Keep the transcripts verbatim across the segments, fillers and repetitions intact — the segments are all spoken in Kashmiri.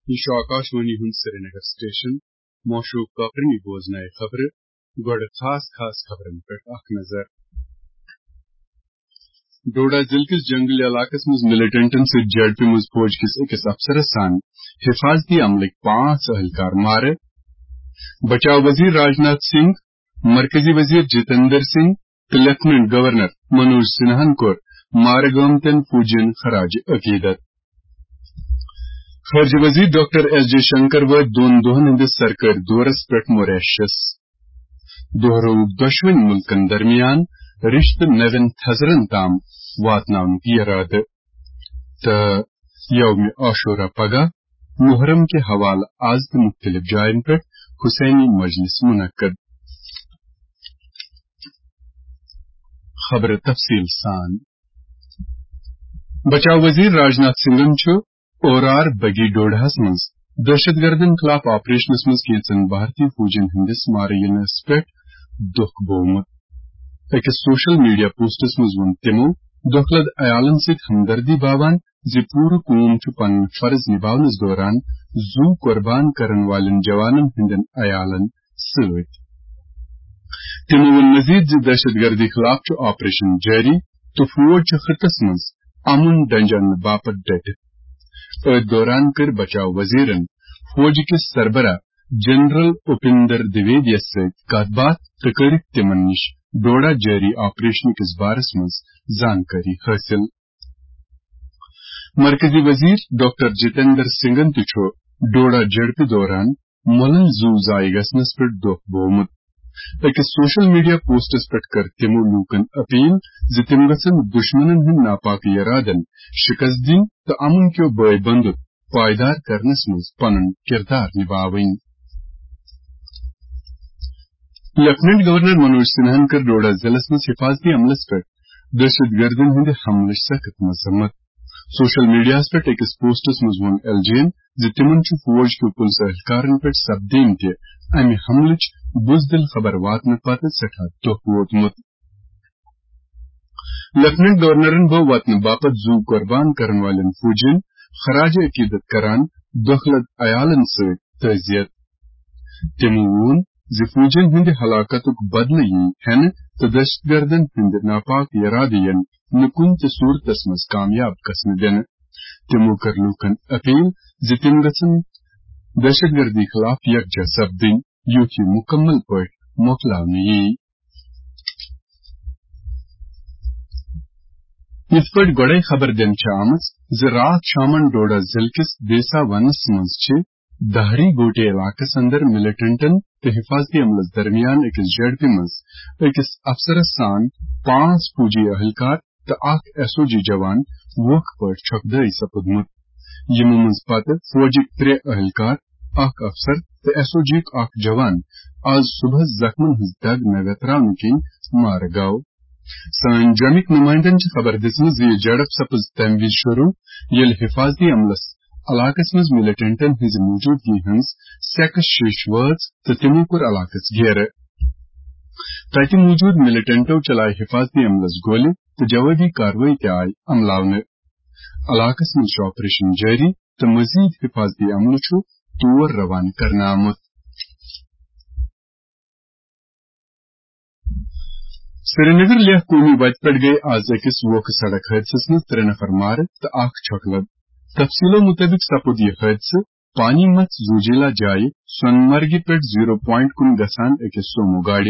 یہِ چھُ آکاشوانی ہُنٛد سرینگر سٹیشن۔ معشوق کاکرنی بوزنایہِ خبرٕ۔ گۄڈٕ خاص خاص خبرن پٮ۪ٹھ اکھ نظر۔ ڈوڈا ضلعہٕ کِس جنگلی علاقس منٛز ملیٹنٹن سۭتۍ جیڈ پی منٛز فوج کِس أکِس افسرس سان حفاظتی عملٕکۍ پانٛژھ اہلکار مارٕ۔ بچاو وزیر راجناتھ سنگھ، مرکزی وزیر جتیندر سنگھ تہٕ لیفٹیننٹ گورنر منوج سنہاہن کوٚر مارٕ گٲمتٮ۪ن فوجین خراج عقیدت۔ خارجہ وزیر ڈاکٹر ایس جے شنکر وٲتۍ دۄن دۄہن ہٕنٛدِس سرکٲرۍ دورس پٮ۪ٹھ موریشس۔ دۄہرٲوُکھ دۄشوٕنی مُلکن درمیان رشتہٕ نوٮ۪ن تھزرن تام واتناونُک یرادٕ۔ تہٕ یومِ عاشورہ پگاہ، محرم کہِ حوالہٕ از تہِ مُختٔلِف جاین پٮ۪ٹھ حسینی مجلس منعقد۔ خبرٕ تفصیل سان۔ بچاو وزیر راجناتھ سنگھن چھُ اورار بگی ڈوڈاہس منٛز دہشت گردن خلاف آپریشنس منٛز کینژن بھارتی فوجین ہٕنٛدِس مارٕ ینس پٮ۪ٹھ دۄکھ بوومُت۔ أکِس سوشل میڈیا پوسٹس منٛز ووٚن تِمو دۄکھ لد عیالن سۭتۍ ہمدردی باوان زِ پوٗرٕ قوم چھُ پنُن فرض نباونس دوران زُو قربان کرن والٮ۪ن جوانن ہٕنٛدٮ۪ن عیالن سۭتۍ۔ تِمو ووٚن مزید زِ دہشت گردی خلاف چھُ آپریشن جٲری تہٕ فوج چھُ خطس منٛز امن ڈنجانہٕ باپتھ ڈٹِتھ۔ أتھۍ دوران کٔر بچاو وزیرن فوج کِس سربراہ جنرل اپیندر دویدیس سۭتۍ کتھ باتھ تہٕ کٔرٕکھ تِمن نِش ڈوڈا جٲری آپریشن کِس بارس منٛز زانکٲری حٲصِل۔ مرکزی وزیر ڈاکٹر جتیندر سنگھن تہِ چھُ ڈوڈا جھڑپہِ دوران مۄلٕلۍ زُو ضایع گژھنس پٮ۪ٹھ دۄکھ بوومُت۔ أکِس سوشل میڈیا پوسٹس پٮ۪ٹھ کٔر تِمو لوٗکن اپیل زِ تِم گژھن دُشمنن ہٕنٛدۍ ناپاک یرادن شکست دِنۍ تہٕ امن کیو بٲے بندُت پائیدار کرنس منٛز پنُن کردار نباوٕنۍ۔ لیفٹیننٹ گورنر منوج سنہاہن کٔر ڈوڈا ضلعس منٛز حفاظتی عملس پٮ۪ٹھ دہشت گردن ہٕنٛدِ حملٕچ سخت مذمت۔ سوشل میڈیاہس پٮ۪ٹھ أکِس پوسٹس منٛز ووٚن ایل جی ین زِ تِمن چھُ فوج کیو پُلسہٕ اہلکارن پٮ۪ٹھ سپدیمتہِ امہِ حملٕچ بزدل خبر واتنہٕ پتہٕ سٮ۪ٹھاہ دۄکھ ووتمُت۔ لیفٹیننٹ گورنرن بٲو وطنہٕ باپتھ زُو قربان کرن والٮ۪ن فوجین خراج عقیدت کران دۄکھ لد عیالن سۭتۍ تعزیت۔ تِمو ووٚن زِ فوجین ہٕنٛدِ ہلاکتُک بدلہٕ یِیہِ ہٮ۪نہٕ تہٕ دہشت گردن ہٕنٛدِ ناپاک یرادٕ یِن نہٕ کُنہِ تہِ صورتس منٛز کامیاب گژھنہٕ دِنہٕ۔ تِمو کٔر لوٗکن اپیل زِ تِم گژھن دہشت گردی خلاف یکجا سپدٕنۍ، یُتھ یہِ مُکمل پٲٹھۍ مۄکلاونہٕ یِیہِ۔ یِتھ پٲٹھۍ گۄڈَے خبر دِنہٕ چھِ آمٕژ زِ راتھ شامَن ڈوڈا ضلعہٕ کِس دیسا ونَس منٛز چھِ دہری گوٹے علاقَس اندر ملیٹنٹن تہٕ حفاظتی عملَس درمیان أکِس جھڑپہِ منٛز أکِس افسرَس سان پانٛژھ فوجی اہلکار تہٕ اکھ ایس او جی جوان ووکھٕ پٲٹھۍ چھۄکھ دٲے سپُدمُت۔ یِمو منٛز پتہٕ فوجٕکۍ ترٛےٚ اہلکار، اکھ افسر تہٕ ایس او جی یُک اکھ جوان آز صبحس زخمن ہٕنٛز دگ نہ ویتراونہٕ کِنۍ مارٕ گوٚو۔ سٲنۍ جوٚمِکۍ نُمٲیندن چھِ خبر دِژمٕژ زِ یہِ جھڑپ سپٕز تَمہِ وِزِ شروٗع، ییٚلہِ حفاظتی عملس علاقس منٛز ملیٹنٹن ہٕنٛزِ موجودگی ہٕنٛز سیکس شیش وٲژ تہٕ تِمو کوٚر علاقس گھیرٕ۔ تتہِ موجود ملیٹنٹو چلایہِ حفاظتی عملس گولہِ تہٕ جوابی کاروٲیی تہِ آیہِ عملاونہٕ۔ علاقس منٛز چھُ آپریشن جٲری تہٕ مزید حفاظتی عملہٕ چھُ تور روانہٕ کرنہٕ آمُت۔ سرینگر لیہ قومی وتہِ پٮ۪ٹھ گٔے آز أکِس ووکھٕ سڑک حٲدثس منٛز ترٛےٚ نفر مارٕ تہٕ اکھ چھۄکہٕ لد۔ تفصیلو مُطٲبِق سپُد یہِ حٲدثہٕ پانی متھ زوجیلا جایہِ سۄنہٕ مرگہِ پٮ۪ٹھ زیٖرو پوینٹ کُن گژھان أکِس سومو گاڑِ،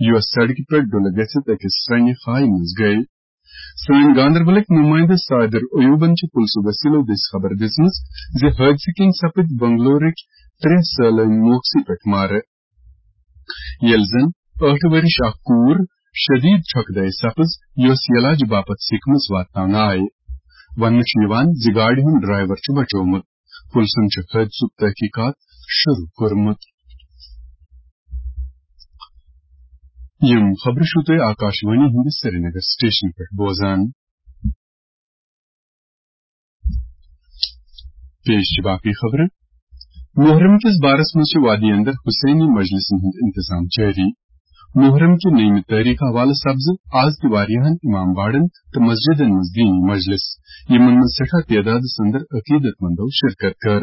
یۄس سڑکہِ پٮ۪ٹھ ڈُلہٕ گٔژھِتھ أکِس سرٛنہِ خایہِ منٛز گٔے۔ سٲنۍ گاندربلٕکۍ نُمٲیندٕ صادر ایوبن چھِ پُلسہٕ وسیلو دٔسۍ خبر دِژمٕژ زِ حٲدثہٕ کِنۍ سپٕدۍ بنگلورٕکۍ ترٛےٚ سٲلٲنۍ موقعسٕے پٮ۪ٹھ مارٕ، ییٚلہِ زن ٲٹھ ؤرِش اکھ کوٗر شدید چھۄکہٕ دٲے سپٕز، یۄس علاج باپتھ سِکمٕز واتناونہٕ آیہِ۔ وننہٕ چھُ یِوان زِ گاڑِ ہُنٛد ڈرائیور چھُ بچومُت۔ پُلسن چھُ حٲدثُک تحقیقات شروع کوٚرمُت۔ یِم خبرٕ چھِو تُہۍ آکاشوانی ہٕنٛدِس سرینگر سٹیشن پٮ۪ٹھ بوزان۔ پیش چھِ باقٕے خبرٕ۔ محرم کِس بارس منٛز چھِ وادی اندر حسینی مجلسن ہُنٛد انتظام جٲری۔ محرم کہِ نٔیمہِ تٲریخ حوالہٕ سپزٕ آز تہِ واریاہن امام باڑن تہٕ مسجدن منٛز دینی مجلس، یِمن منٛز سٮ۪ٹھاہ تعدادس اندر عقیدت مندو شرکت کٔر۔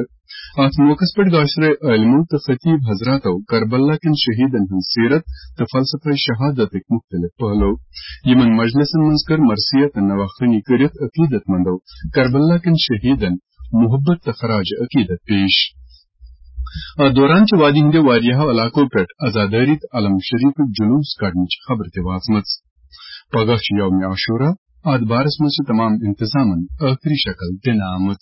اتھ موقعس پٮ۪ٹھ گاشرے عٲلمو تہٕ خطیب حضراتو کربلا کٮ۪ن شہیدن ہٕنٛز سیرت تہٕ فلسفہ شہادتٕکۍ مختلف پہلو۔ یِمن مجلسن منٛز کٔر مرثیہ تہٕ نواخوانی کٔرِتھ عقیدت مندو کربلا کٮ۪ن شہیدن محبت تہٕ خراج عقیدت پیش۔ اتھ دوران چھِ وادی ہٕنٛدیو واریاہو علاقو پٮ۪ٹھ عزادٲری تہٕ علم شریفٕکۍ جلوس کڑنٕچ خبر تہِ وٲژمٕژ۔ پگاہ چھُ یوم عاشورہ، اتھ بارس منٛز چھِ تمام انتظامن ٲخری شکل دِنہٕ آمٕژ۔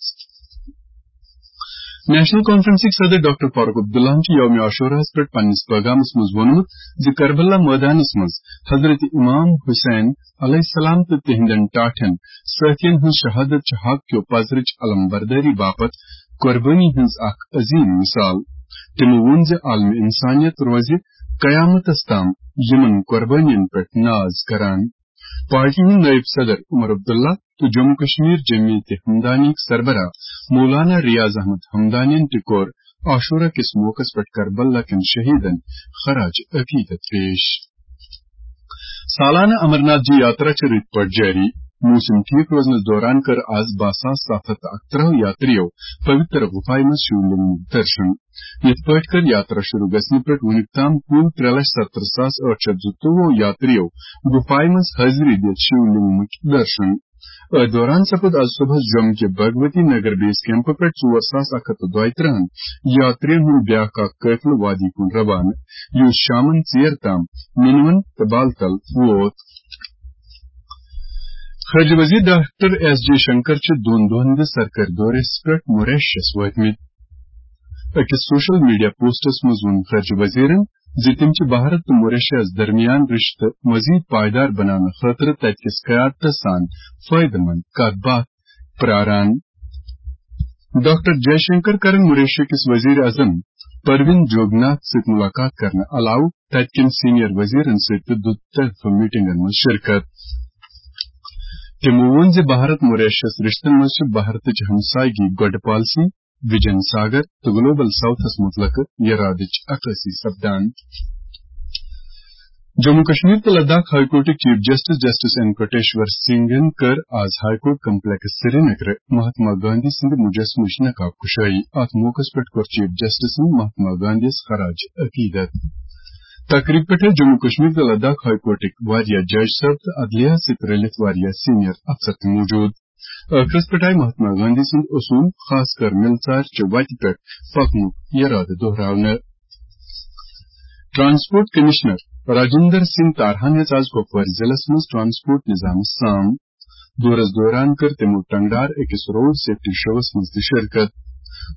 نیشنل کانفرنسٕکۍ صدر ڈاکٹر فاروق عبداللہن چھُ یوم عاشورہس پٮ۪ٹھ پننِس پیغامس منٛز ووٚنمُت زِ کربلا مٲدانس منٛز حضرت امام حسین علیہ السلام تہٕ تِہنٛدٮ۪ن ٹاٹھٮ۪ن سٲتھین ہٕنٛز شہادت چھِ حق کیو پزرٕچ علم بردٲری باپتھ قربٲنی ہٕنٛز اکھ عظیم مثال۔ تِمو ووٚن زِ عالم انسانیت روزِ قیامتس تام یِمن قربٲنین پٮ۪ٹھ ناز کران۔ پارٹی ہٕنٛدۍ نٲیِب صدر عمر عبداللہ تہٕ جموں کشمیر جمعیت ہمدانیٕکۍ سربراہ مولانا ریاض احمد ہمدانین تہِ کوٚر عاشورہ کِس موقعس پٮ۪ٹھ کربلا کٮ۪ن شہیدن خراج عقیدت پیش۔ سالانہٕ امرناتھ جی یاترا چھِ رٕتۍ پٲٹھۍ جٲری۔ موسم ٹھیک روزنس دوران کٔر آز باہ ساس ستھ ہتھ تہٕ اکترٛہ یاتریو پویتر غفایہِ منٛز شیو لنگمُک درشن۔ یِتھ پٲٹھۍ کٔر یاترا شروع گژھنہٕ پٮ۪ٹھ وُنیُک تام کُل ترٛےٚ لچھ ستترٛہ ساس ٲٹھ شیٚتھ زٕتووُہ یاتریو غفایہِ منٛز حٲضری دِتھ شیو لنگمُک درشن۔ أتھۍ دوران سپُد آز صبحس جوٚم کہِ بھگوتی نگر بیس کیمپہٕ پٮ۪ٹھ ژور ساس اکھ ہتھ تہٕ دۄیہِ ترٕٛہن یاترین ہُنٛد بیاکھ اکھ قٲفلہٕ وادی کُن روانہٕ، یُس شامن ژیر تام مِنوَن تہٕ بالتل ووت۔ خارجہ وزیر ڈاکٹر ایس جے شنکر چھِ دۄن دۄہن ہٕنٛدِس سرکٲرۍ دورس پٮ۪ٹھ موریشیس وٲتمٕتۍ۔ أکِس سوشل میڈیا پوسٹس منٛز ووٚن خارجہ وزیرن زِ تِم چھِ بھارت تہٕ موریشیاہس درمیان رشتہٕ مزید پائیدار بناونہٕ خٲطرٕ تتہِ کِس قیادتس سان فٲیدٕ مند کتھ باتھ پراران۔ ڈاکٹر جے شنکر کرن موریشیا کِس وزیر اعظم پروین جوگناتھ سۭتۍ ملاقات کرنہٕ علاوٕ تتہِ کٮ۪ن سینئر وزیرن سۭتۍ تہِ دُ طرفہٕ میٹنگن منٛز شرکت۔ تِمو ووٚن زِ بھارت موریشیاہس رشتن منٛز چھِ بھارتٕچ ہمسایگی گۄڈٕ پالیسی، وجن ساگر تہٕ گلوبل ساؤتھس متعلق یرادٕچ عکاسی سپدان۔ جموں کشمیر تہٕ لداخ ہائی کورٹٕکۍ chief justice justice N Kotiswar سنگھن کٔر آز high court complex Srinagar Mahatma Gandhi سٕنٛدِ مجسمٕچ نقاب کشٲیی۔ اتھ موقعس پٮ۪ٹھ کوٚر چیف جسٹسن مہاتما گاندھیس خراج عقیدت۔ تقریب پٮ۪ٹھ ٲسۍ جموں کشمیر تہٕ لداخ ہائی کورٹٕکۍ واریاہ جج صٲب تہٕ عدلیہ سۭتۍ رٔلِتھ واریاہ سینئر افسر تہِ موجود۔ ٲخرس پٮ۪ٹھ آیہِ مہاتما گاندھی سٕنٛدۍ اصوٗل، خاص کر مِلژارچہِ وتہِ پٮ۪ٹھ پکنُک یرادٕ دۄہراونہٕ۔ ٹرانسپورٹ کمشنر راجندر سنگھ تارہن ہیٚژ آز کپوارِ ضلعس منٛز ٹرانسپورٹ نظامس سام۔ دورس دوران کٔر تِمو ٹنگڈار أکِس روڈ سیفٹی شوَس منٛز تہِ شرکت۔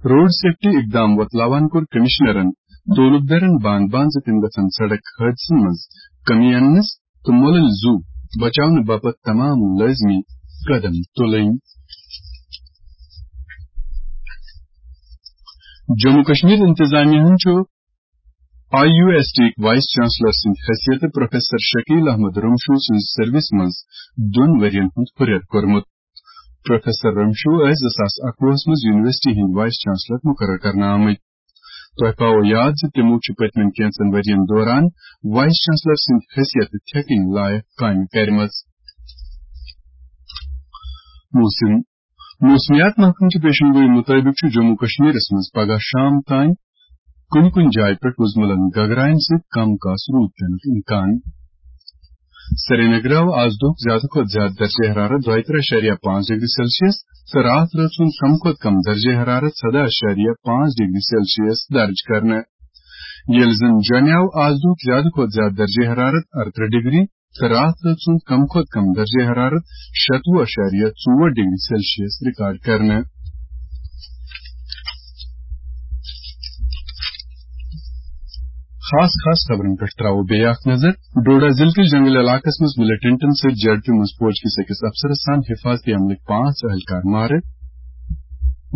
روڈ سیفٹی اقدام وۄتلاوان کوٚر کمشنرن تعلقدارن باند باند زِ تِم گژھن سڑک حٲدثن منٛز کمی اننس تہٕ مۄلٕلۍ زُو بچاونہٕ باپتھ تمام لٲزمی قدم تُلٕنۍ۔ جموں کشمیر انتظامیہ ہن چھُ آئی یو ایس ٹی یٕکۍ وائس چانسلر سٕنٛدِ حیثیتہٕ پروفیسر شکیل احمد رمشو سٕنٛز سروس منٛز دۄن ؤرین ہُنٛد ہُرٮ۪ر کوٚرمُت۔ پروفیسر رمشو ٲسۍ زٕ ساس اَکوُہس منٛز یونیورسٹی ہٕنٛدۍ وائس چانسلر مقرر کرنہٕ آمٕتۍ۔ تۄہہِ پاوو یاد زِ تِمو چھِ پٔتمٮ۪ن کینٛژن ؤرین دوران وائس چانسلر سٕنٛدِ حیثیتہٕ تھٮ۪کٕنۍ لایق کامہِ کرِمژٕ۔ موسم۔ موسمیات محکمہٕ چہِ پیشن گویی مُطٲبِق چھُ جموں کشمیرس منٛز پگاہ شام تام کُنہِ کُنہِ جایہِ پٮ۪ٹھ وُزملن گگراین سۭتۍ کم کاس روٗد پینُک امکان۔ سرینگرٕ آو آز دۄہُک زیادٕ کھۄتہٕ زیادٕ درجہ حرارت دۄیہِ ترٕٛہ اَشاریہ پانٛژھ ڈگری سیلسیس تہٕ راتھ رٲژ ہُنٛد کم کھۄتہٕ کم درجہ حرارت سداہ اَشاریہ پانٛژھ ڈگری سیلسیس درج کرنہٕ۔ ییٚلہِ زن جوٚمہِ آو آز دۄہُک زیادٕ کھۄتہٕ زیادٕ درجہ حرارت اَرترٕٛہ ڈگری تہٕ راتھ رٲژ ہُنٛد کم کھۄتہٕ کم درجہ حرارت شتوُہ اَشاریہ ژور ڈگری سیلسیس ریکارڈ کرنہٕ۔ خاص خاص خبرن پٮ۪ٹھ تراوو بیٚیہِ اکھ نظر۔ ڈوڈا ضلعہٕ کِس جنگل علاقس منٛز ملیٹنٹن سۭتۍ جھڑپہِ منٛز فوج کِس أکِس افسرس سان حفاظتی عملٕکۍ پانٛژھ اہلکار مارٕ۔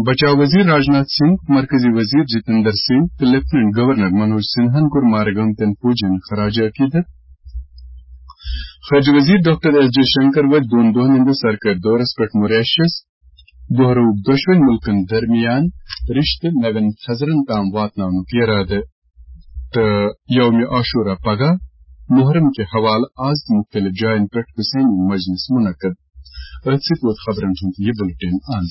بچاو وزیر راجناتھ سنگھ، مرکزی وزیر جتندر سنگھ تہٕ لیفٹیننٹ گورنر منوج سنہاہن کوٚر مارٕ گٲمتٮ۪ن فوجین خراج عقیدت۔ خارجہ وزیر ڈاکٹر ایس جے شنکر وٲتۍ دۄن دۄہن ہٕنٛدِس سرکٲرۍ دورس پٮ۪ٹھ موریشیس۔ دۄہرووُکھ دۄشوٕنۍ مُلکن درمیان رشتہٕ نوٮ۪ن تھزرن تام واتناونُک ارادٕ۔ تہٕ یوم عاشورہ پگاہ۔ محرم کہِ حوالہٕ آز تہِ مُختٔلِف جاین پٮ۪ٹھ حسینی مجلس منعقد۔ أتھۍ سۭتۍ ووت خبرن ہُنٛد یہِ بُلٹن اند۔